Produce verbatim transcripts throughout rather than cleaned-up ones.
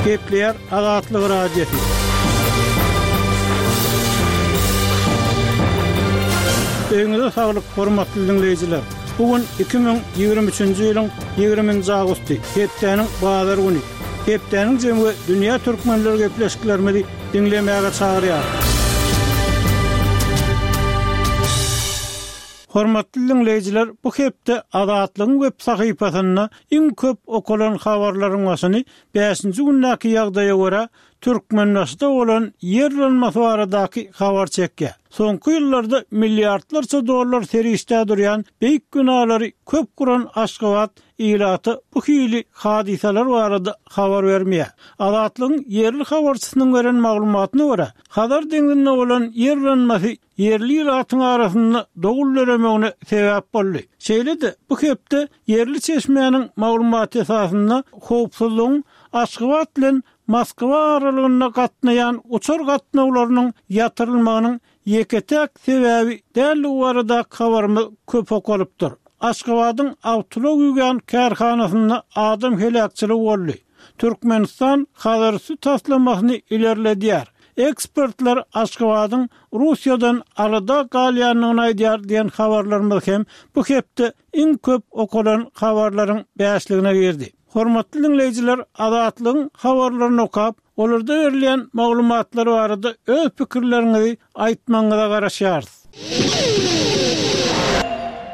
Gepleýär Azatlyk Radiosy. Öýüňize saglyk, hormatly diňleýjiler! Bu gün iki müň ýigrimi üçünji ýylyň ýigriminji awgusty, hepdäniň bazar güni. Hepdäniň jemi we dünýä türkmenleri gepleşiklerimizi diňlemäge çagyrýar. Hormatly diňleýjiler, bu hepde Azatlygyň web sahypasynda iň köp okalan habarlaryň başyny bäşinji gündäki ýagdaýa görä, Türkmenbaşyda bolan ýer yrylmasy baradaky habar çekýär. Soňky ýyllarda milliardlarça dollar serişdä durýan beýik binalary köp guran Aşgabat ilata bu hili hadysalar barada habar bermeýär. Azatlygyň ýerli habarçysynyň beren maglumatyna görä, Hazar deňzinde bolan ýer yranmasy ýerli ilatyň arasynda dowul döremegine sebäp boldy. Şeýle-de, bu hepde ýerli çeşmäniň maglumaty esasynda howpsuzlygyň Aşgabat bilen Moskwa aralygynda gatnaýan uçar gatnawlarynyň ýatyrylmagynyň ýeke-täk sebäbi däldigi baradaky habarymyz köp okalypdyr. Aşgabadyň awtoulag ýuwýan kärhanasynda adam heläkçiligi boldy. Türkmenistan Hazarüsti taslamasyny ilerledýär. Ekspertler Aşgabadyň Russiýadan alada galýandygyny aýdýar diýen habarlarymyz hem bu hepde iň köp okalan habarlaryň bäşligine girdi. Hormatly diňleýjiler, Azatlygyň habarlaryny okap, olarda berilýän maglumatlar barada öz pikirleriňizi aýtmagyňyza garaşýarys.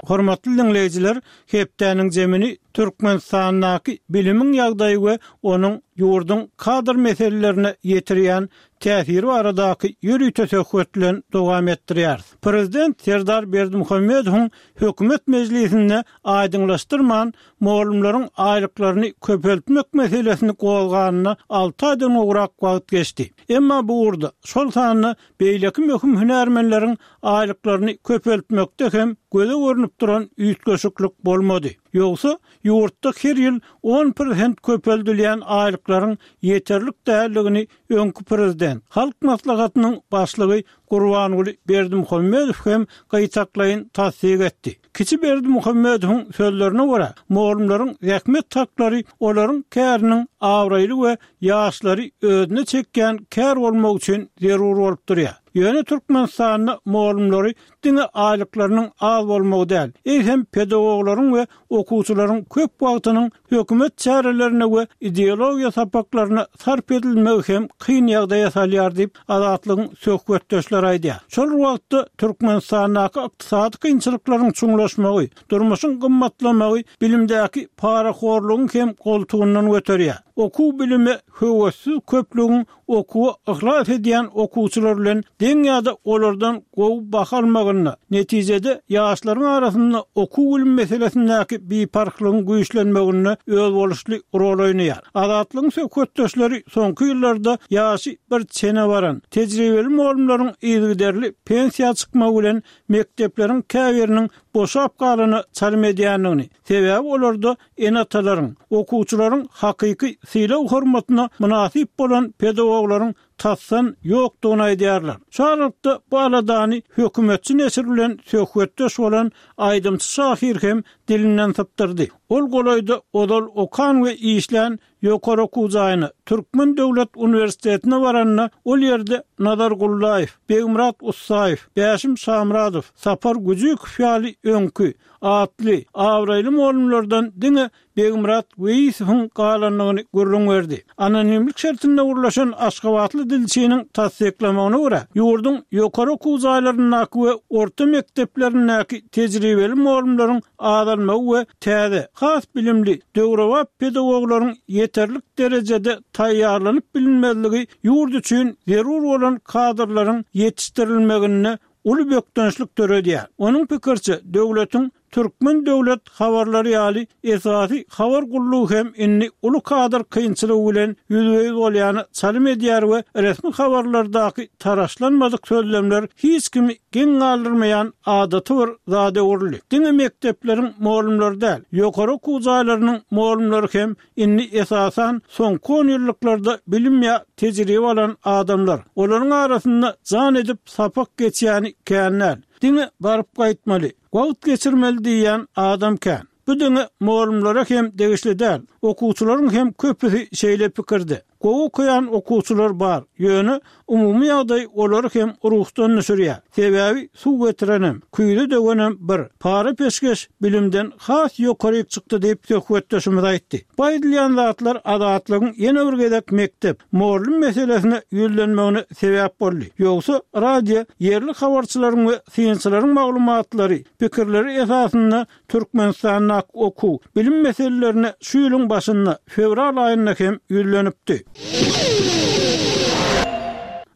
Hormatly diňleýjiler, hepdäniň jemini Türkmenistandaky bilimiň ýagdaýy we onuň ýurduň kadr meselelerine ýetirýän täsiri baradaky ýörite söhbet bilen dowam etdirýäris. Prezident Serdar Berdimuhamedowyň hökümet mejlisinde aýdyňlaşdyrman, mugallymlaryň aýlyklaryny köpeltmek meselesini gozganyna alty aýdan gowrak wagt geçdi. Emma bu ugurda, şol sanda beýleki möhüm hünärmenleriň aýlyklaryny köpeltmekde hem göze görnüp duran üýtgeşiklik bolmady. Ýogsa, ýurtda her ýyl on prosent köpeldilýän aýlyklaryň ýeterlik däldigini öňki prezident, Halk Maslahatynyň Başlygy Gurbanguly Berdimuhamedow hem gytaklaýyn tassyk etdi. Kiçi Berdimuhamedowyň sözlerine görä, mugallymlaryň zähmet haklary olaryň käriniň abraýly we ýaşlary özüne çekýän kär bolmagy üçin zerur bolup durýar. Ýöne Türkmenistanda mugallymlary diňe aýlyklarynyň az bolmagy däl, eýsem pedagoglaryň we okuwçylaryň köp wagtynyň hökümet çärelerine we ideologiýa sapaklaryna sarp edilmegi hem kyn ýagdaýa salýar diýip, Azatlygyň söhbetdeşleri aýdýar. Şol bir wagtda, Türkmenistandaky ykdysady kynçylyklaryň çuňlaşmagy, durmuşyň gymmatlamagy bilimdäki parahorlugyň hem goltugyndan göterýär. Okuw-bilime höwessiz köplügiň okuwa yhlas edýän okuwçylar bilen deň ýa-da olardan gowy baha almagynda, netijede, ýaşlaryň arasynda okuw-bilim meselesindäki biparhlygyň güýçlenmeginde özboluşly rol oýnaýar. Azatlygyň söhbetdeşleri soňky ýyllarda ýaşy bir çene baran, tejribeli mugallymlaryň yzygiderli pensiýa çykmagy bilen mekdepleriň käbiriniň boşap galana çalym edýändigini, sebäbi olarda ene-atalaryň, okuwçylaryň hakyky sylag-hormatyna mynasyp bolan pedagoglaryň tasdan ýokdugyny aýdýarlar. Şu aralykda bu aladany hökümetçi neşir bilen söhbetdeş bolan aýdymçy-şahyr hem dilinden sypdyrdy. Ol golaýda ozal okan we işlän ýokary okuw jaýyna, Türkmen döwlet uniwersitetine baranda, ol ýerde Nazar Gullaýew, Begmyrat Ussaýew, Bäşim Şamyradow, Sapar Güjükow ýaly öňki, atly, abraýly mugallymlardan diňe Begmyrat Weýisowyň galandygyny gürrüň berdi. Anonimlik şertinde gürleşen aşgabatly dilçiniň tassyklamagyna görä, ýurduň ýokary okuw jaýlaryndaky we orta mekdeplerindäki tejribeli mugallymlaryň azalmagy we täze, has bilimli, döwrebap pedagoglaryň ýeterlik derejede taýýarlanyp bilinmezligi ýurt üçin zerur bolan kadrlaryň ýetişdirilmeginde uly bökdençlik döredýär. Onuň pikiriçe, döwletiň Türkmen döwlet habarlary ýaly esasy habar gullugy hem indi uly kadr kynçylygy bilen ýüzbe-ýüz bolýana çalym edýär we resmi habarlardaky taraşlanmadyk sözlemler hiç kimi geň galdyrmaýan adaty bir zada öwrüldi. Diňe mekdepleriň mugallymlary däl, ýokary okuw jaýlarynyň mugallymlary hem indi esasan soňky onýyllyklarda bilim ýa tejribe alan adamlar. Olaryň arasynda jan edip sapak geçýäni kän däl. Diňe baryp gaýtmaly, wagt geçirmeli diýýän adam kän. Bu diňe mugallymlara hem degişli däl, okuwçylaryň hem köpüsi şeýle pikirde. Gowy okaýan okuwçylar bar, ýöne umumy ýagdaý olary hem ruhdan düşürýär. Sebäbi suw getirenem, küýze döwenem bir, para-peşgeş bilimden has ýokaryk çykdy diýip, söhbetdeşimiz aýtdy. Bu aýdylýan zatlar Azatlygyň ýene bir gezek mekdep, mugallym meselesine ýüzlenmegine sebäp boldy. Ýogsa radio ýerli habarçylaryň we synçylaryň maglumatlary, pikirleri esasynda Türkmenistandaky okuw, bilim meselelerine şu ýylyň başynda, fewral aýynda hem ýüzlenipdi.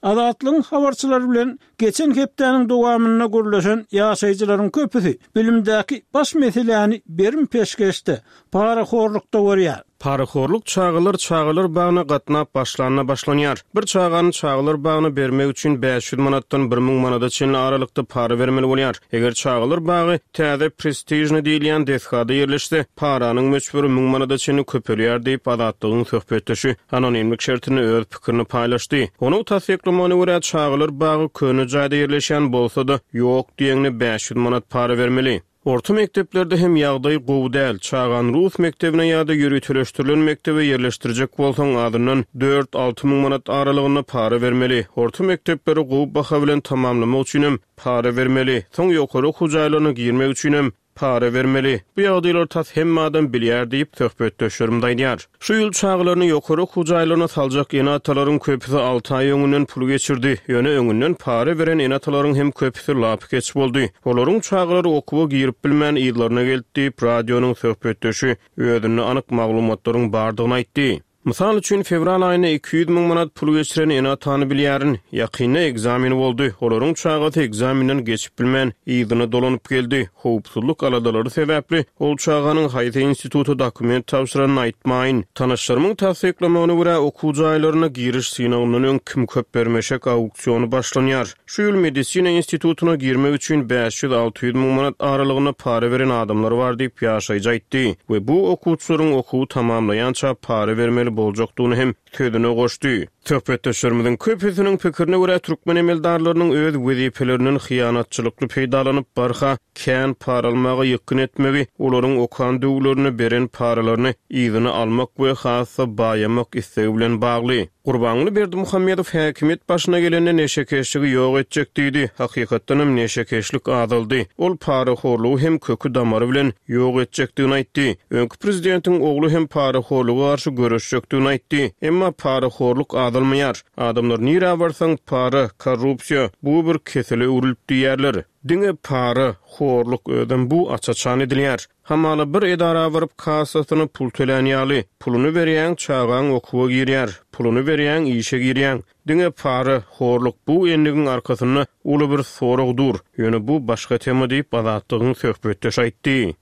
Azatlygyň habarçylary bilen geçen hepdäniň dowamynda gürleşen ýaşaýjylaryň köpüsi bilimdäki baş meseläni berim-peşgeşde, parahorlukda görýär. Parahorluk çagalar çagalar bagyna gatnap başlanda başlanýar. Bir çagany çagalar bagyna bermek üçin bäş ýüz manatdan bir müň manada çenli aralykda para bermeli bolýar. Eger çagalar bagy täze prestižni diýilýän desgada ýerleşse, paranyň möçberi müň manada çenli köpelýär diýip, Azatlygyň söhbetdeşi anonimlik şertinde öz pikirini paýlaşdy. Onuň tassyklamagyna görä, çagalar bagy köne jaýda ýerleşýän bolsa-da, ýok diýeňine bäş ýüz manat para bermeli. Orta mekdeplerde hem ýagdaý gowy däl. Çagany rus mekdebine ýa-da ýöriteleşdirilen mekdebe ýerleşdirjek bolsaň, azyndan dört-alty müň manat aralygynda para bermeli. Orta mekdepleri gowy baha bilen tamamlamak üçinem para bermeli. Soň ýokary okuw jaýlaryna girmek üçinem para bermeli. Bu ýagdaýlary tas hemme adam bilýär diýip, söhbetdeşlerimiz aýdýar. Şu ýyl çagalaryny ýokary okuw jaýlaryna saljak ene-atalaryň köpüsi alty aý öňünden pul geçirdi. Ýöne öňünden para beren ene-atalaryň hem köpüsi lapykeç boldy. Olaryň çagalary okuwa girip bilmän yzlaryna geldi diýip, radionyň söhbetdeşi özünde anyk maglumatlaryň bardygyny aýtdy. Mysal üçin, fewral aýynda iki ýüz müň manat pul geçiren ene-atany bilýärin. Ýakynda ekzamen boldy. Olaryň çagasy ekzamenden geçip bilmän, yzyna dolanyp geldi. Howpsuzlyk aladalary sebäpli ol çaganyň haýsy instituta dokument tabşyranyny aýtmaýyn. Tanyşlarymyň tassyklamagyna görä, okuw jaýlaryna giriş synagyndan öň kim köp bermeşek auksiony başlanýar. Şu ýyl medisina institutyna girmek üçin bäş ýüz-alty ýüz müň manat aralygynda para beren adamlar bar diýip, ýaşaýjy aýtdy we bu okuwçylaryň okuwy tamamlaýança para bermeli boljakdygyny hem sözüne goşdy. Söhbetdeşlerimiziň köpüsiniň pikirine görä, türkmen emeldarlarynyň öz wezipelerinden hyýanatçylykly peýdalanyp, barha kän para almaga ýykgyn etmegi, olaryň okan döwürlerinde beren paralaryny yzyna almak we has-da baýamak islegi bilen bagly. Gurbanguly Berdimuhamedow häkimiýet başyna gelende neşekeşligi ýok etjek diýdi. Hakykatdanam neşekeşlik azaldy. Ol parahorlugy hem köki-damary bilen ýok etjekdigini aýtdy. Öňki prezidentiň ogly hem parahorluga garşy göreşjekdigini aýtdy. Emma parahorluk azalmaýar. Adamlar nirä barsaň para, korrupsiýa, bu bir kesele öwrülip diýýärler. Diňe para, horluk özem bu aç-açan edilýär. Hamala bir edara baryp kassasyna pul tölän ýaly, puluny berýäň, çagaň okuwa girýär, puluny berýäň, işe girýäň. Diňe para, horluk bu endigiň arkasynda uly bir sorag dur. Ýöne bu başga tema diýip, Azatlygyň söhbetdeşi aýtdy.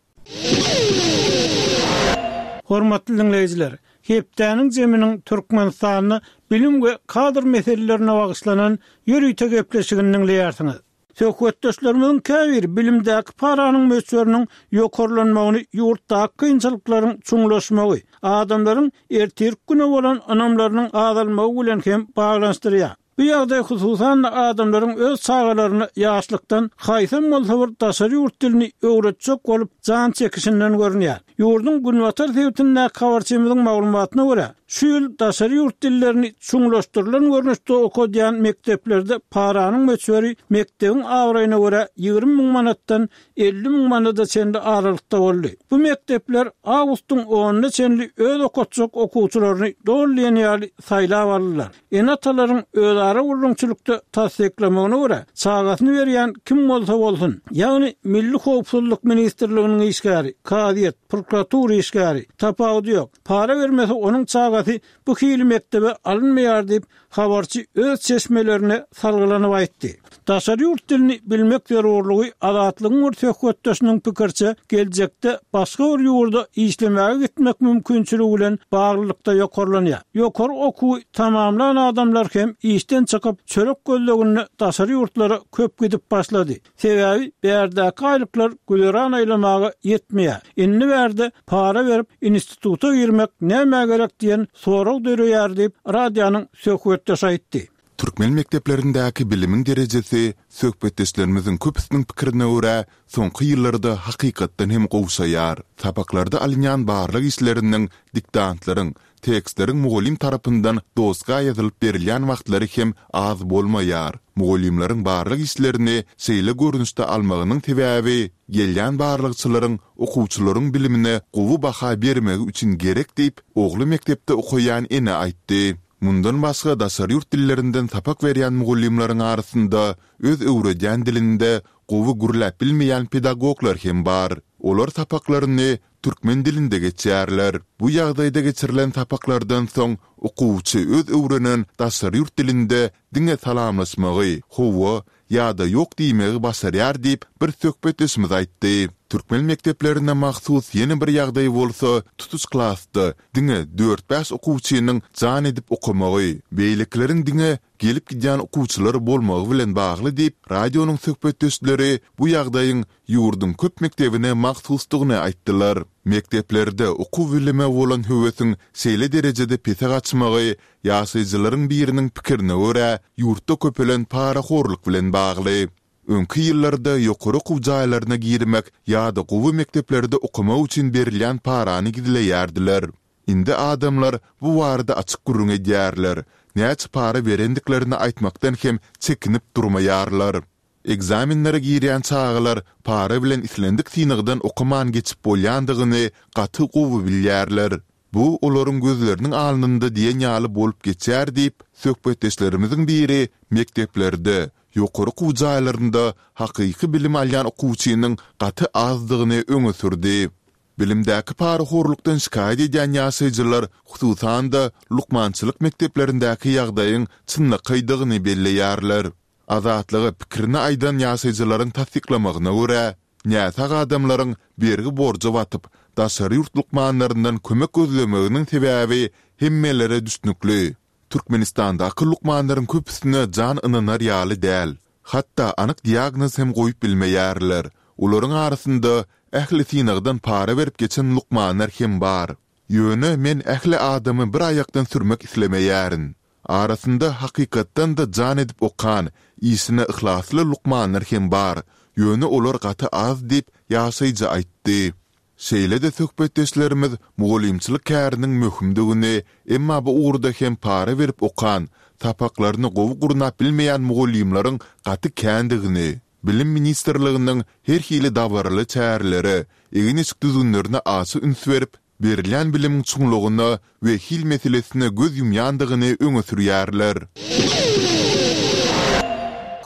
Hormatly diňleýjiler, hepdäniň jeminiň Türkmenistanda bilim we kadr meselelerine bagyşlanan ýörite gepleşigini diňleýärsiňiz. Söhbetdeşlerimiziň käbiri bilimdäki paranyň möçberiniň ýokarlanmagyny ýurtdaky kynçylyklaryň çuňlaşmagy, adamlaryň ertirki güne bolan ynamlarynyň azalmagy bilen hem baglanyşdyrýar. Bu ýagdaý hususan-da adamlaryň öz çagalaryna ýaşlykdan haýsam bolsa bir daşary ýurt dilini öwretjek bolup jan çekişinden görünýär. Ýurduň günbatar sebitindäki habarçymyzyň maglumatyna görä, şu ýyl daşary ýurt dillerini çuňlaşdyrylan görnüşde okadýan mekdeplerde paranyň möçberi mekdebiň abraýyna görä ýigrimi müň manatdan elli müň manada çenli aralykda boldy. Bu mekdepler awgustyň onuna çenli öz okatjak okuwçylaryny doly diýen ýaly saýlap aldylar. Ene-atalaryň özara gürrüňçilikde tassyklamagyna görä, çagasyny berýän kim bolsa bolsun, ýagny Milli howpsuzlyk ministrliginiň işgäri, kazyýet, prokuratura işgäri, tapawudy ýok, para bermese onuň çagasy bu hili mekdebe alynmaýar diýip, habarçy öz çeşmelerine salgylanyp aýtdy. Daşary ýurt dilini bilmek zerurlygy Azatlygyň bir söhbetdeşiniň pikiriçe, geljekde başga bir ýurda işlemäge gitmek mümkinçiligi bilen baglylykda ýokarlanýar. Ýokary okuwy tamamlan adamlar hem işden çykyp, çörek gözleginde daşary ýurtlara köp gidip başlady. Sebäbi bärdäki aýlyklar güzeran aýlamaga ýetmeýär. Indi bärde para berip instituta girmek nämä gerek diýen sorag döreýär diýip, radionyň söhbetdeşi aýtdy. Türkmen mekdeplerindäki bilimiň derejesi, söhbetdeşlerimiziň köpüsiniň pikirine görä, soňky ýyllarda hakykatdan hem gowşaýar. Sapaklarda alynýan barlag işleriniň, diktantlaryň, tekstleriň mugallym tarapyndan doska ýazylyp berilýän wagtlary hem az bolmaýar. Mugallymlaryň barlag işlerini şeýle görnüşde almagynyň sebäbi, gelýän barlagçylaryň okuwçylaryň bilimine gowy baha bermegi üçin gerek diýip, ogly mekdepde okaýan ene aýtdy. Mundan başga daşary ýurt dillerinden sapak berýän mugallymlaryň arasynda öz öwredýän dilinde gowy gürläp bilmeýän pedagoglar hem bar. Olar sapaklaryny türkmen dilinde geçýärler. Bu ýagdaýda geçirilen sapaklardan soň okuwçy öz öwrenen daşary ýurt dilinde diňe salamlaşmagy, hawa ýa-da ýok diýmegi başarýar diýip, bir söhbetdeşimiz aýtdy. Türkmen mekdeplerine mahsus ýene bir ýagdaý bolsa, tutuş klasda diňe dört-bäş okuwçynyň jan edip okamagy, beýlekileriň diňe gelip-gidýän okuwçylar bolmagy bilen bagly diýip, radionyň söhbetdeşleri bu ýagdaýyň ýurduň köp mekdebine mahsusdygyny aýtdylar. Mekdeplerde okuw-bilime bolan höwesiň şeýle derejede pese gaçmagy ýaşaýjylaryň biriniň pikirine görä, ýurtda köpelen parahorluk bilen bagly. Öňki ýyllarda ýokary okuw jaýlaryna girmek ýa-da gowy mekdeplerde okamak üçin berilýän parany gizleýärdiler. Indi adamlar bu barada açyk gürrüň edýärler, näçe para berendiklerini aýtmakdan hem çekinip durmaýarlar. Ekzamenlere girýän çagalar para bilen islendik synagdan okaman geçip bolýandygyny gaty gowy bilýärler. Bu olaryň gözleriniň alnynda diýen ýaly bolup geçýär diýip, söhbetdeşlerimiziň biri mekdeplerde, ýokary okuw jaýlarynda hakyky bilim alýan okuwçynyň gaty azdygyny öňe sürdi. Bilimdäki parahorlukdan şikaýat edýän ýaşaýjylar, hususan-da, lukmançylyk mekdeplerindäki ýagdaýyň çynlakaýdygyny belleýärler. Azatlyga pikirini aýdan ýaşaýjylaryň tassyklamagyna görä, näsag adamlaryň bergi-borja batyp, daşary ýurt lukmanlaryndan kömek gözlemeginiň sebäbi hemmelere düşnükli. Türkmenistandaky lukmanlaryň köpüsine jan ynanar ýaly däl. Hatda anyk diagnoz hem goýup bilmeýärler. Olaryň arasynda ähli synagdan para berip geçen lukmanlar hem bar. Ýöne men ähli adamy bir aýakdan sürmek islemeýärin. Arasynda hakykatdan-da jan edip okan, işine yhlasly lukmanlar hem bar, ýöne olar gaty az diýip, ýaşaýjy aýtdy. Şeýle-de söhbetdeşlerimiz mugallymçylyk käriniň möhümdigini, emma bu ugurda hem para berip okan, sapaklaryny gowy gurnap bilmeýän mugallymlaryň gaty kändigini, Bilim ministrliginiň her hili dabaraly çärelere, egin-eşik düzgünlerine aşa üns berip, berilýän bilimiň çuňlugyna we hil meselesine göz ýumýandygyny öňe sürýärler.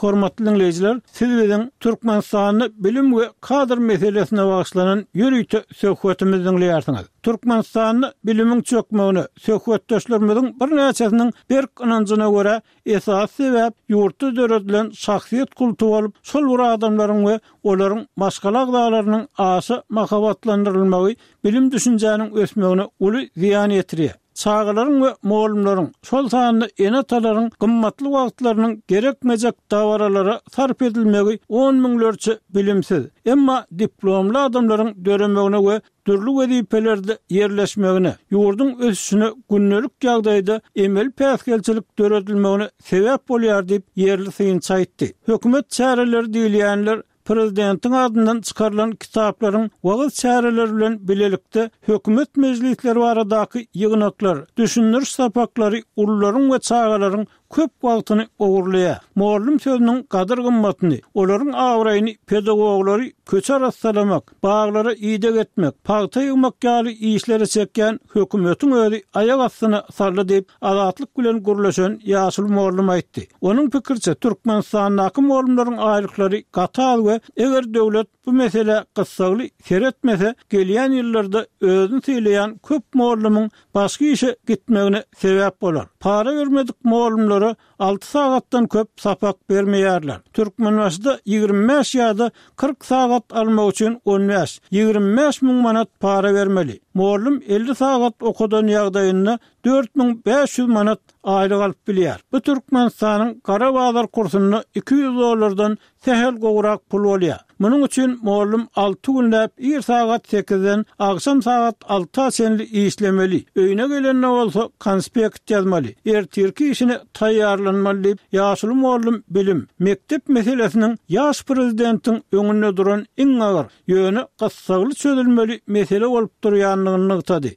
Hormatly diňleýjiler, siz biziň Türkmenistanda bilim we kadr meselesine bagyşlanan ýörite söhbetimizi diňleýärsiňiz. Türkmenistanda bilimiň çökmegine söhbetdeşlerimiziň birnäçesiniň berk ynanjyna görä Esasy sebäp ýurtda döredilen şahsyýet kulty bolup, şol bir adamlaryň we olaryň maşgala agzalarynyň aşa mahabatlandyrylmagy bilim-düşünjäniň ösmegine uly zyýan ýetirýär. Çagalaryň we mugallymlaryň, şol sanda ene-atalaryň gymmatly wagtlarynyň gerekmejek dabaralara sarp edilmegi on müňlerçe bilimsiz, emma diplomly adamlaryň döremegine we dürli wezipelerde ýerleşmegine, ýurduň ösüşine gündelik ýagdaýda emeli päsgelçilik döredilmegine sebäp bolýar diýip, ýerli synçy aýtdy. Hökümet çäreleri diýilýänler prezidentiň adyndan çykarylan kitaplaryň wagyz çäreleri bilen bilelikde hökümet mejlisleri baradaky ýygnaklar, düşündiriş sapaklary ulularyň we çagalaryň köp wagtyny ogurlaýar. Mugallym sözüniň gadyr-gymmatyny, olaryň abraýyny pedagoglary köçe arassalamak, baglara ideg etmek, pagta ýygmak ýaly işlere çekýän hökümetiň özi aýak astyna saldy diýip, Azatlyk bilen gürleşen ýaşuly mugallym aýtdy. Onuň pikiriçe, Türkmenistandaky mugallymlaryň aýlyklary gaty az we eger döwlet bu meselä gyssagly seretmese, gelýän ýyllarda özüni sylaýan köp mugallymyň başga işe gitmegine sebäp bolar. Para bermedik mugallymlara alty sagatdan köp sapak bermeýärler. Türkmenbaşyda ýigrimi bäş ýa-da kyrk sagat almak üçin on bäş, ýigrimi bäş müň manat para bermeli. Mugallym elli sagat okadan ýagdaýynda dört müň bäş ýüz manat aýlyk alyp bilýär. Bu Türkmenistanyň gara bazar kursunda iki ýüz dollardan sähel gowrak pul bolýar. Munuň üçin mugallym alty günläp ir sagat sekizden agşam sagat alta çenli işlemeli, öýüne gelende bolsa konspekt ýazmaly, ertirki işine taýýarlanmaly diýip, ýaşuly mugallym bilim, mekdep meselesiniň ýaş prezidentiň öňünde duran iň agyr, ýöne gyssagly çözülmeli mesele bolup durýandygyny nygtady.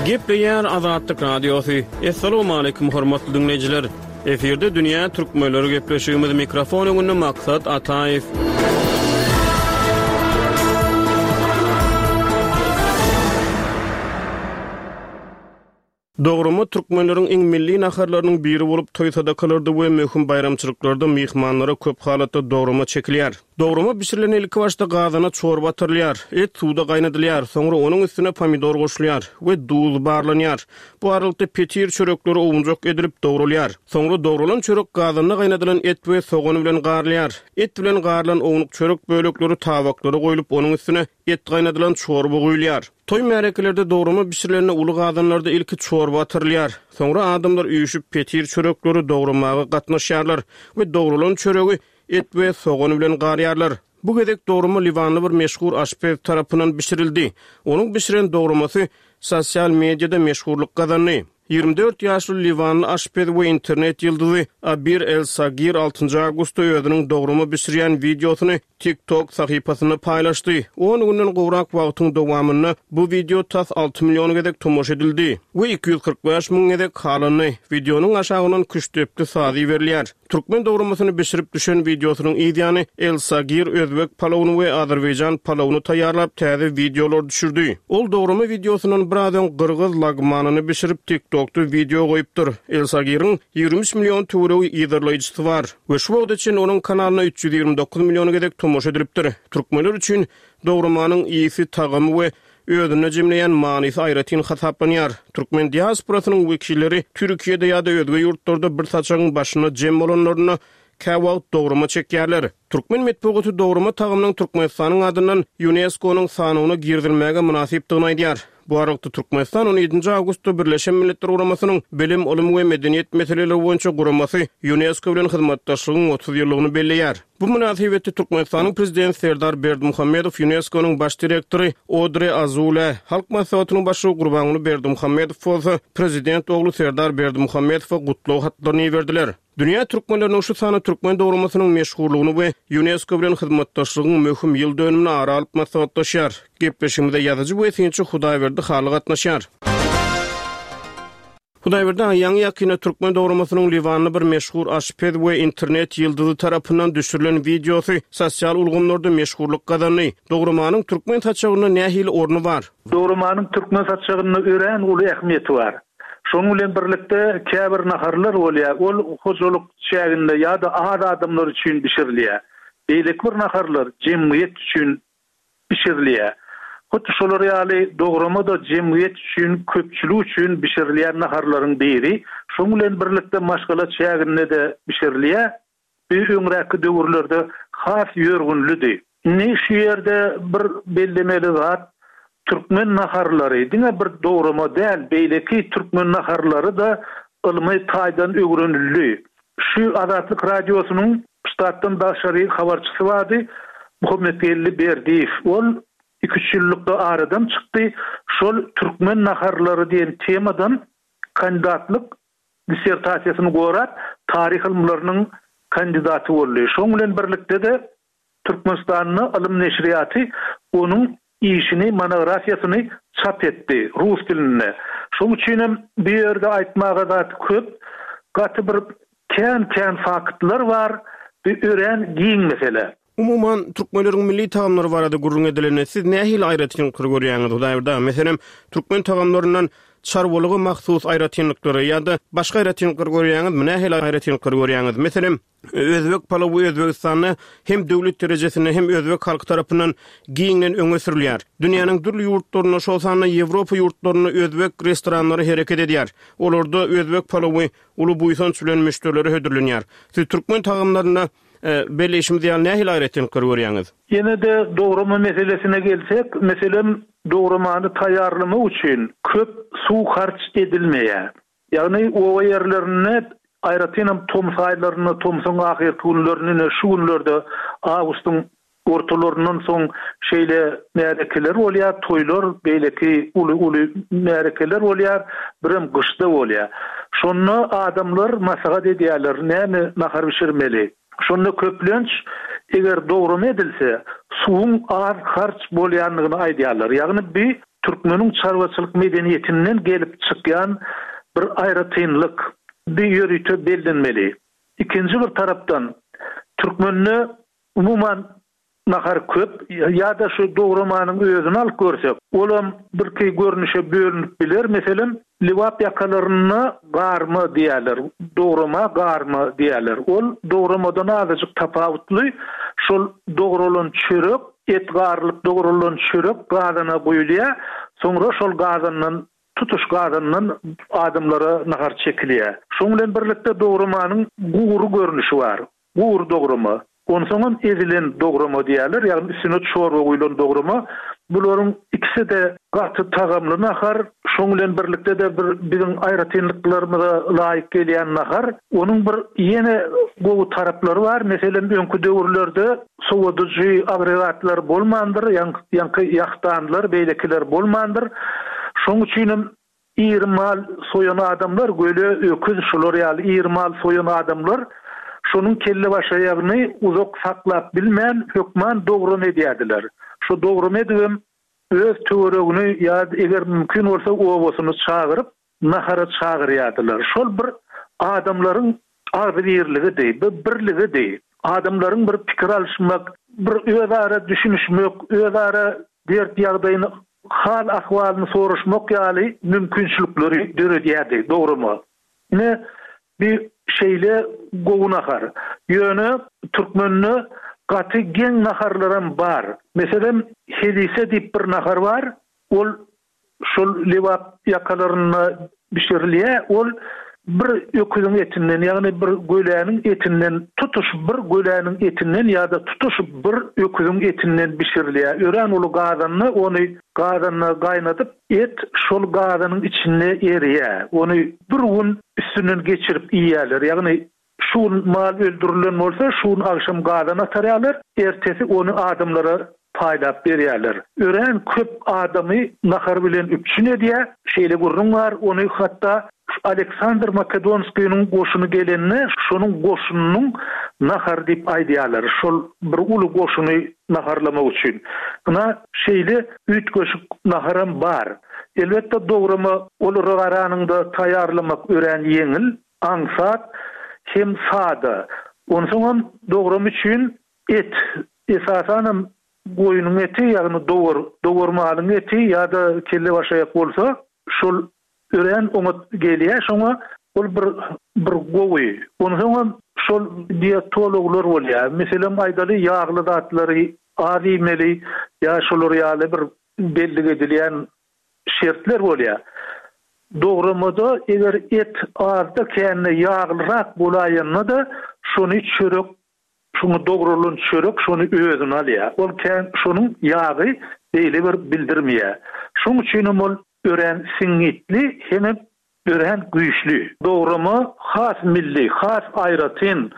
Gepleýär Azatlyk Radiosy. Assalamualaikum hormatly dinleýjiler. Efirde Dünýä Türkmenleri gepleşigimiz mikrofon öňünde Maksat Ataýew. Dograma türkmenleriň iň milli naharlarynyň biri bolup, toý sadakalarda we möhüm baýramçylyklarda myhmanlara köp halatda dograma çekilýär. Dograma bişirilen ilki başda gazana çorba atyrylýar, et suwda gaýnadylýar, soňra onuň üstüne pomidor goşulýar we duz barlanýar. Bu aralykda petir çörekleri owunjak edilip dogralýar. Soňra dogralan çörek gazanda gaýnadylan et we sogan bilen garylýar. Et bilen garylan ownuk çörek bölekleri tabaklara goýlup, onuň üstüne et gaýnadylan çorba guýulýar. Toý märekelerde dograma bişirilende uly gazanlarda ilki çorba atyrylýar. Soňra adamlar üýşüp petir çörekleri dogramaga gatnaşýarlar we dogralan çöregi et we sogan bilen garýarlar. Bu gezek dograma Liwanly bir meşhur aşpez tarapyndan bişirildi. Onuň bişiren dogramasy sosial mediada meşhurlyk gazandy. Ýigrimi dört ýaşly Liwanly aşpez we internet ýyldyzy Abir El Sagir altynjy awgustda özüniň dograma bişirýän wideosyny TikTok sahypasynda paýlaşdy. On günden gowrak wagtyň dowamynda bu wideo tas alty million gezek tomaşa edildi we iki ýüz kyrk bäş müň gezek halandy. Wideonyň aşagyndan küştdepdi sazy berilýär. Türkmen dogramasyny bişirip düşen wideosynyň yz ýany El Sagir özbek palawyny we azerbaýjan palawyny taýýarlap täze wideolar düşürdi. Ol dograma wideosyndan biraz öň gyrgyz lagmanyny bişirip TikTokda wideo goýupdyr. El Sagiriň ýigrimi üç million töweregi yzarlaýjysy bar we şu wagta çenli onuň kanalyna üç ýüz ýigrimi dokuz million gezek tomaşa edilipdir. Türkmenler üçin dogramanyň ýygy tagamy we özünde jemleýän manysy aýratyn hasaplanýar. Türkmen diasporasynyň wekilleri Türkiýede ýa-da özge ýurtlarda bir saçagyň başyna jem bolanlarynda käwagt dograma çekýärler. Türkmen metbugaty dograma tagamynyň Türkmenistanyň adyndan UNESCO-nyň sanawyna girizilmäge mynasypdygyny aýdýar. Bu aralykda Türkmenistan on ýedinji awgustda Birleşen Milletler Guramasynyň Bilim, Ylym we Medeniýet meseleleri boýunça guramasy UNESCO bilen hyzmatdaşlygyň otuz ýyllygyny belleýär. Bu mynasybetde Türkmenistanyň prezidenti Serdar Berdimuhamedow UNESCO-nyň baş direktory Odre Azule, Halk Maslahatynyň başlygy Gurbanguly Berdimuhamedow bolsa prezident ogly Serdar Berdimuhamedowa gutlag hatlaryny berdiler. Dünýä türkmenleriniň şu sany türkmen dogramasynyň meşhurlygyny we UNESCO bilen hyzmatdaşlygyň möhüm ýyl dönümini ara alyp maslahatlaşýar. Gepleşigimize ýazyjy we synçy Hudaýberdi Hally gatnaşýar. Hudaýberdi aýaň ýakynda türkmen dogramasynyň Liwanly bir meşhur aşpez we internet ýyldyzy tarapyndan düşürilen wideosy sosial ulgamlarda meşhurlyk gazandy. Dogramanyň türkmen saçagynda nähili orny bar? Dogramanyň türkmen saçagynda örän uly ähmiýeti bar. Şonuň bilen birlikde käbir naharlar bolýar, ol hojalyk çäginde ýa-da az adamlar üçin bişirilýär. Beýleki bir naharlar jemgyýet üçin bişirilýär. Hut şolar ýaly dograma da jemgyýet üçin, köpçülik üçin bişirilýän naharlaryň biri. Şonuň bilen birlikde maşgala çäginde de bişirilýär. Bir öňräki döwürlerde has ýörgünlidi. Indi şu ýerde bir bellemeli zat, türkmen naharlary diňe bir dograma däl, beýleki türkmen naharlary da ylmy taýdan öwrenildi. Şu Azatlyk Radiosynyň ştatdan daşary habarçysy bardy, Muhammetgeldi Berdiýew. Ol iki üç ýyllykda aradan çykdy. Şol türkmen naharlary diýen temadan kandidatlyk dissertasiýasyny gorap, taryh ylymlarynyň kandidaty boldy. Şoň bilen birlikde de Türkmenistanda ylym neşirýaty onuň işini, monografiýasyny çap etdi rus dilinde. Şoň üçin hem bu ýerde aýtmaga zat köp, gaty bir kän-kän faktlar bar, bu örän giň mesele. Umuman, türkmenleriň milli tagamlary barada gürrüň edilende siz nähili aýratynlyklary görýäňiz Hudaýberdi? Meselem, türkmen tagamlaryndan çarwalyga mahsus aýratynlyklary ýa-da başga aýratynlyklary görýäňizmi? Nähili aýratynlyklary görýäňiz? Meselem, özbek palawy Özbegistanda hem döwlet derejesinde hem özbek halky tarapyndan giňden öňe sürülýär. Dünýäniň dürli ýurtlarynda, şol sanda Ýewropa ýurtlarynda özbek restoranlary hereket edýär. Olarda özbek palawy uly buýsanç bilen müşderilere hödürlenýär. Siz türkmen tagamlarynda, e, belleýşimiz ýaly nähili aýratynlyklary görýäňiz? Ýene de dograma meselesine gelsek, meselem, Dogramany taýýarlamak üçin köp suw harç edilmeýär. Ýagny oba ýerlerinde, aýratynam tomus aýlarynda, tomsuň ahyrky günlerinde, ine şu günlerde awgustyň ortalaryndan soň şeýle märekeler bolýar, toýlar, beýleki uly-uly märekeler bolýar, birem gyşda bolýar. Şonda adamlar maslahat edýärler, näme nahar bişirmeli? Şonda köplenç eger dograma edilse, suwuň az harç bolýandygyny aýdýarlar. Ýagny bi türkmeniň çarwaçylyk medeniýetinden gelip çykýan bir aýratynlyk, bi ýörite bellenmeli. Ikinji bir tarapdan, türkmende umuman nahar köp, ýa-da şu dogramanyň özüni alyp görsek, olam birki görnüşe bölünip biler. Meselem, Lebap ýakalarynda garma diýýärler, dograma garma diýýärler. Ol dogramadan azajyk tapawutly, şol dogralan çörek, et garylyp dogralan çörek gazana guýulýar, soňra şol gazandan, tutuş gazandan adamlara nahar çekilýär. Şoň bilen birlikde dogramanyň gury görnüşi bar. Gury dograma. Onsoňam ezilen dograma diýýärler, ýagny üstüne çorba guýlan dograma. Bularyň ikisi-de gaty tagamly nahar, şoň bilen birlikde-de bir biziň aýratynlyklarymyza laýyk gelýän nahar. Onuň bir ýene gowy taraplary bar, meselem, öňki döwürlerde sowadyjy agregatlar bolmandyr, ýaňky ýahdanlar, beýlekiler bolmandyr. Şoň üçinem Iri mal soýan adamlar, göle, öküz şular ýaly iri mal soýan adamlar şonuň kellebaşaýagyny uzak saklap bilmän, hökman dogrum edýärdiler. Şo dogrum edibem öz töweregini ýa eger mümkin bolsa obasyny çagyryp, nahara çagyrýardylar. Şol bir adamlaryň agzybirligidi, bir birligidi. Adamlaryň bir pikir alyşmak, bir özara düşünişmek, özara dert-ýagdaýyny hal-ahwalyny soraşmak ýaly mümkinçilikleri döredýärdi, dogrymy? Ine, bi şeýle gowy nahar. Ýöne türkmende gaty geň naharlaram bar. Meselem, helise diýip bir nahar bar. Ol Şol Lebap ýakalarynda bişirilýär. Ol bir öküziň etinden, ýagny bir göläniň etinden, tutuş bir göläniň etinden ýa-da tutuş bir öküziň etinden bişirilýär. Örän uly gazanda ony gazanda gaýnadyp, et şol gazanyň içinde erýär. Ony bir gün üstünden geçirip iýýärler. Ýagny Şu gün mal öldürilen bolsa, şu gün agşam gazan atarýarlar, ertesi ony adamlara paýlap berýärler. Örän köp adamy nahar bilen üpjün edýär. Şeýle gürrüň bar, ony hatda Aleksandr Makedonskiniň goşuny gelende, şonuň goşunynyň nahary diýip aýdýarlar, şol bir uly goşuny naharlamak üçin. Ynha, şeýle üýtgeşik naharam bar. Elbetde, dograma olara garanyňda taýýarlamak örän ýeňil. Aňsat hem sada. Onsoňam dogram üçin et, esasanam goýnuň eti, ýagny dowar, dowar malyň eti ýa-da kellebaşaýak bolsa, şol örän oňat gelýär şoňa, ol bir bir gowy. Onsoňam şol dietologlar bolýar. Meselem aýdaly, ýagly zatlary az iýmeli ýa şolar ýaly bir bellik edilýän şertler bolýar. Dogramada eger et azda-kände ýaglyrak bolaýanda-da, şony çörek, şoňa dogralan çörek şony özüne alýar. Ol kän şonuň ýagy beýle bir bildirmeýär. Şoň üçinem ol örän siňňitli hemem örän güýçli. Dograma has milli, has aýratyn,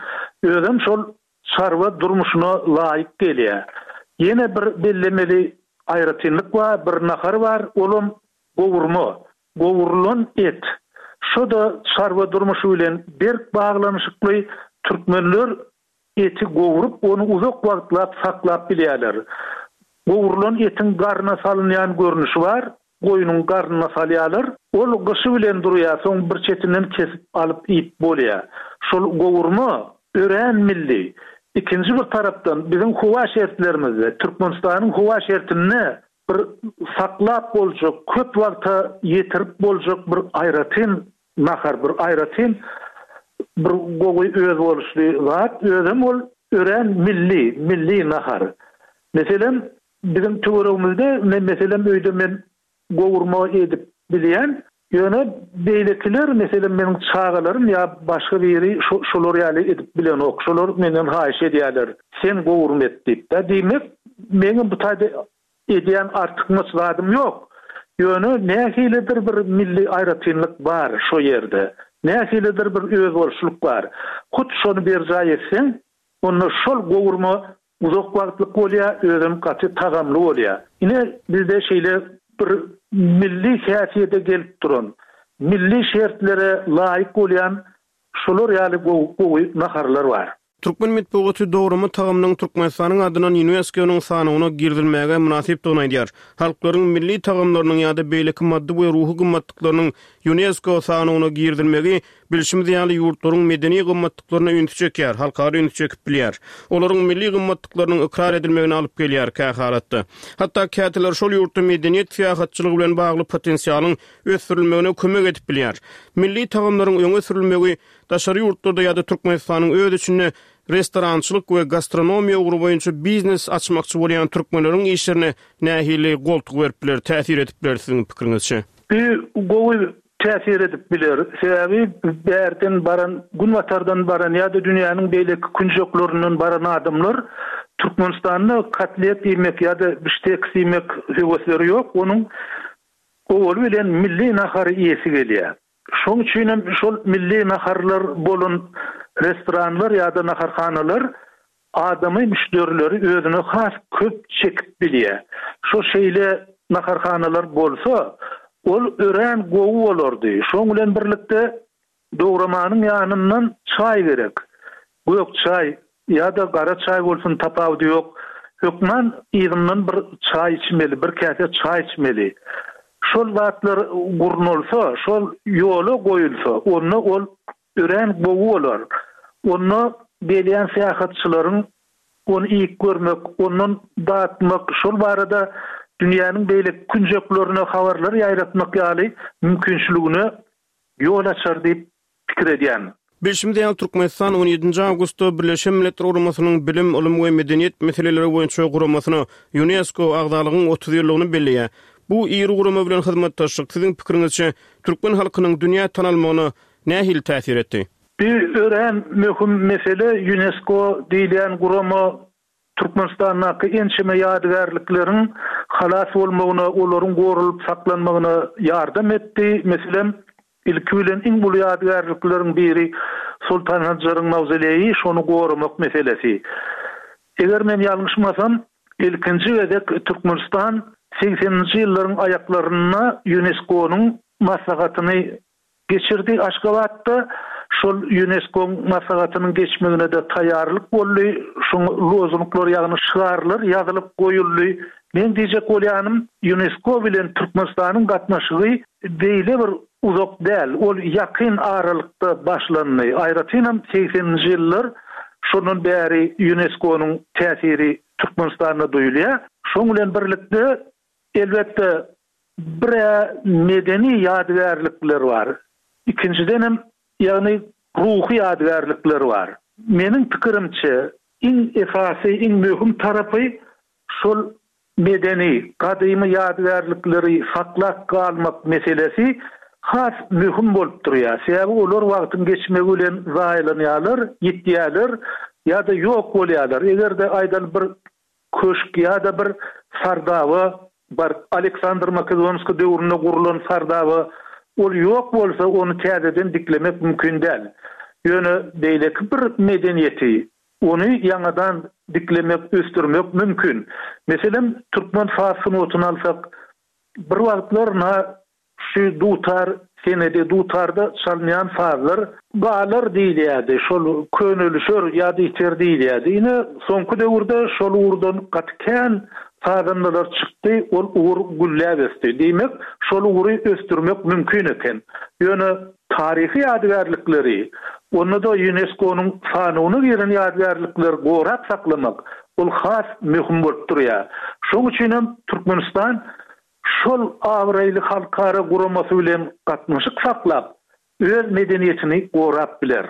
özem şol çarwa durmuşyna laýyk gelýär. Ýene bir bellemeli aýratynlyk bar, bir nahar bar, olam gowurma, gowrulan et. Şo-da çarwa durmuşy bilen berk baglanyşykly, türkmenler eti gowrup, ony uzak wagtlap saklap bilýärler. Gowrulan etiň garna salynýan görnüşi bar, goýnuň garnyna salýarlar. Ol gyşy bilen durýar, soň bir çetinden kesip alyp iýip bolýar. Şol gowurma örän milli. Ikinji bir tarapdan, biziň howa şertlerimizde, Türkmenistanyň howa şertinde bir saklap boljak, köp wagta ýetirip boljak bir aýratyn nahar, bir aýratyn bir gowy özboluşly zat, özem ol örän milli, milli nahar. Meselem, biziň töweregimizde, men meselem öýde men gowurma edip bilýän, ýöne beýlekiler, meselem meniň çagalarym ýa başga biri şolar ýaly edip bilenok, şolar menden haýyş edýärler, sen gowurma et diýip-de. Diýmek, meňem bu taýda edýän artykmaç zadym ýok. Ýöne nähilidir bir milli aýratynlyk bar şo ýerde. Nähilidir bir özboluşlyk bar. Hut şony berjaý etseň, onda şol gowurma uzak wagtlyk bolýar, özem gaty tagamly bolýar. Ine, bizde şeýle bir milli häsiýete gelip duran, milli şertlere laýyk bolýan şolar ýaly gowy naharlar bar. Türkmen metbugaty dograma tagamynyň Türkmenistanyň adyndan Ýunesko-nyň sanawyna girizilmäge mynasypdygyny aýdýar. Halklaryň milli tagamlarynyň ýa-da beýleki maddy we ruhy gymmatlyklarynyň Ýunesko sanawyna girizilmegi, bilşimiz ýaly, ýurtlaryň medeni gymmatlyklaryna ünsi çekýär, halkara ünsi çekip bilýär. Olaryň milli gymmatlyklarynyň ykrar edilmegine alyp gelýär kähalatda. Hatda käteler şol ýurtda medeniýet syýahatçylygy bilen bagly potensialyň ösdürilmegine kömek edip bilýär. Milli tagamlaryň öňe sürülmegi daşary ýurtlarda ýa-da Türkmenistanyň öz içinde restorançylyk we gastronomiýa ugry boýunça biznes açmakçy bolýan türkmenleriň işlerine nähili goltgy berip biler, täsir edip biler siziň pikiriňizçe? Bu gowy täsir edip biler. Sebäbi bärden baran, günbatardan baran ýa-da dünýäniň beýleki künjeklerinden baran adamlar Türkmenistanda kotlet iýmek ýa-da bişteks iýmek höwesleri ýok. Onuň owaly bilen milli nahary iýesi gelýär. Şoň üçin hem şol milli naharlar bolan restoranlar ýa-da naharhanalar adamy, müşderileri özüne has köp çekip bilýär. Şo şeýle naharhanalar bolsa, ol örän gowy bolardy. Şoň bilen birlikde dogramanyň ýanyndan çaý gerek. Gök çaý ýa-da gara çaý bolsun tapawudy ýok. Hökman yzyndan bir çaý içmeli, bir käse çaý içmeli. Şol zatlar gurnalsa, şol ýola goýulsa, onda ol örän gowy bolar. Onda gelýän syýahatçylaryň ony iýip görmek, ondan datmak, şol barada dünýäniň beýleki künjeklerine habarlar ýaýratmak ýaly mümkinçiligine ýol açar diýip pikir edýän. Bilşimiz ýaly, Türkmenistan on ýedinji awgustda Birleşen Milletler Guramasynyň Bilim, ylym we medeniýet meseleleri boýunça guramasyna, Ýunesko, agzalygyň otuz ýyllygyny belleýär. Bu iri gurama bilen hyzmatdaşlyk, siziň pikiriňizçe, türkmen halkynyň dünýä tanalmagyna nähili täsir etdi? Bu örän möhüm mesele. Ýunesko diýilýän gurama Türkmenistandaky ençeme ýadygärlikleriň halas bolmagyna, olaryň goralyp saklanmagyna ýardam etdi. Meselem, ilki bilen iň uly ýadygärlikleriň biri Soltan Sanjaryň mawzoleýi, şony goramak meselesi. Eger men ýalňyşmasam, ilkinji gezek Türkmenistan segseninji ýyllaryň aýaklarynda Ýunesko-nyň maslahatyny geçirdi Aşgabatda. Şol Ýunesko-nyň maslahatynyň geçmegine-de taýýarlyk boldy. Şoňa lozunglar, ýagny şygarlar ýazylyp goýuldy. Men diýjek bolýanym, Ýunesko bilen Türkmenistanyň gatnaşygy beýle bir uzak däl, ol ýakyn aralykda başlandy. Aýratynam segseninji ýyllar şondan bäri Ýunesko-nyň täsiri Türkmenistanda duýulýar. Şoň bilen birlikde, elbetde, bir-ä medeni ýadygärlikler bar. Ikinjidenem, ýagny ruhy ýadygärlikler bar. Meniň pikirimçe, iň esasy, iň möhüm tarapy şol medeni, gadymy ýadygärlikleri saklap galmak meselesi has möhüm bolup durýar. Sebäbi olar wagtyň geçmegi bilen zaýalanýarlar, ýitýärler ýa-da ýok bolýarlar. Eger-de aýdaly bir köşk ýa-da bir sardaba bar, Aleksandr Makedonskiý döwründe gurlan sardaba, ol ýok bolsa, ony täzeden diklemek mümkin däl. Ýöne beýleki bir medeniýeti, ony ýaňadan diklemek, ösdürmek mümkin. Meselem, türkmen saz sungatyny alsak, bir wagtlar na şu dutar senedi, dutarda çalynýan sazlar galar diýilýärdi, şol könelişer ýa-da ýiter diýilýärdi. Ine, soňky döwürde şol ugurdan gaty kän sazandalar çykdy, ol ugur gülläp ösdi. Diýmek, şol ugry ösdürmek mümkin eken. Ýöne taryhy ýadygärlikleri, onda-da Ýunesko-nyň sanawyna giren ýadygärlikleri gorap saklamak, ol has möhüm bolup durýar. Şonuň üçin hem Türkmenistan şol abraýly halkara guramasy bilen gatnaşyk saklap, öz medeniýetini gorap biler.